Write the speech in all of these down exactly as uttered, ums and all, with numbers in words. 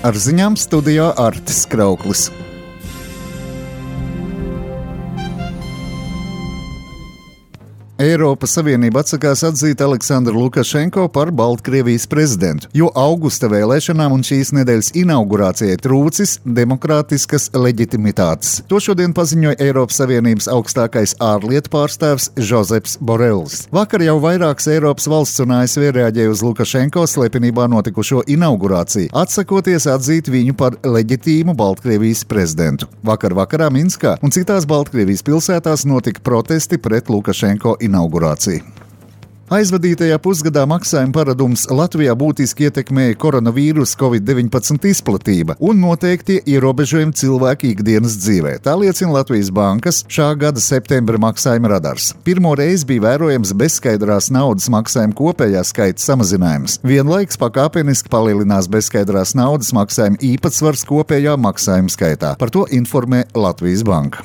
Ar ziņām studijā Artis Krauklis. Eiropas Savienība atsakās atzīt Aleksandru Lukašenko par Baltkrievijas prezidentu, jo augusta vēlēšanām un šīs nedēļas inaugurācijai trūcis demokrātiskas leģitimitātes. To šodien paziņoja Eiropas Savienības augstākais ārlietu pārstāvs Žozeps Borels. Vakar jau vairākas Eiropas valsts un A S V reaģēja uz Lukašenko slepenībā notikušo inaugurāciju, atsakoties atzīt viņu par leģitīmu Baltkrievijas prezidentu. Vakar vakarā Minskā un citās Baltkrievijas pilsētās notika protesti pret Lukašenko inaugurāciju. Inaugurācija. Aizvadītajā pusgadā maksājuma paradums Latvijā būtiski ietekmēja koronavīrusa covid deviņpadsmit izplatība un noteikti ierobežojumi cilvēku ikdienas dzīvē. Tā liecina Latvijas Bankas šā gada septembra maksājuma radars. Pirmo reizi bija vērojams bezskaidrās naudas maksājuma kopējā skaita samazinājums. Vienlaiks pakāpeniski palielinās bezskaidrās naudas maksājuma īpatsvars kopējā maksājuma skaitā. Par to informē Latvijas Banka.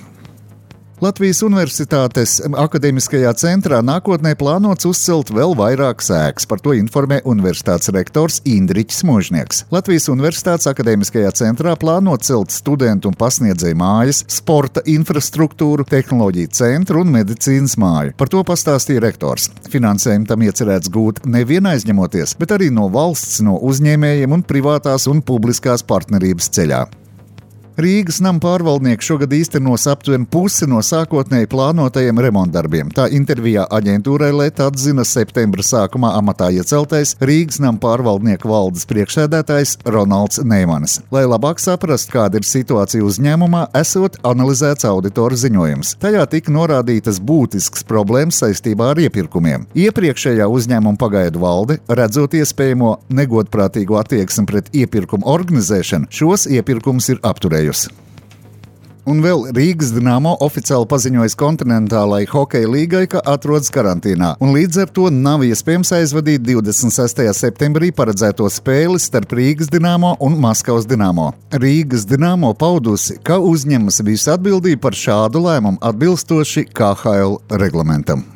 Latvijas Universitātes akadēmiskajā centrā nākotnē plānots uzcelt vēl vairākas ēkas. Par to informē universitātes rektors Indriķis Možnieks. Latvijas Universitātes akadēmiskajā centrā plānot celt studentu un pasniedzēju mājas, sporta infrastruktūru, tehnoloģiju centru un medicīnas māju. Par to pastāstīja rektors. Finansējumu tam iecerēts gūt nevien aizņemoties, bet arī no valsts, no uzņēmējiem un privātās un publiskās partnerības ceļā. Rīgas nama pārvaldnieks šogad īstenos aptuveni pusi no sākotnēji plānotajiem remontdarbiem. Tā intervijā aģentūrai L E T atzina septembra sākumā amatā ieceltais Rīgas nama pārvaldnieku valdes priekšsēdētājs Ronalds Neimanis. Lai labāk saprastu, kāda ir situācija uzņēmumā, esot analizēts auditora ziņojums. Tajā tika norādītas būtiskas problēmas saistībā ar iepirkumiem. Iepriekšējā uzņēmuma pagaidu valde, redzot iespējamo negodprātīgu attieksmi pret iepirkumu organizēšanu, šos iepirkumus ir apturējusi. Un vēl Rīgas Dinamo oficiāli paziņojas kontinentālai hokeja līgai, ka atrodas karantīnā, un līdz ar to nav iespējams aizvadīt divdesmit sestajā septembrī paredzēto spēli starp Rīgas Dinamo un Maskavas Dinamo. Rīgas Dinamo paudusi, ka uzņemas visu atbildību par šādu lēmumu atbilstoši K H L reglamentam.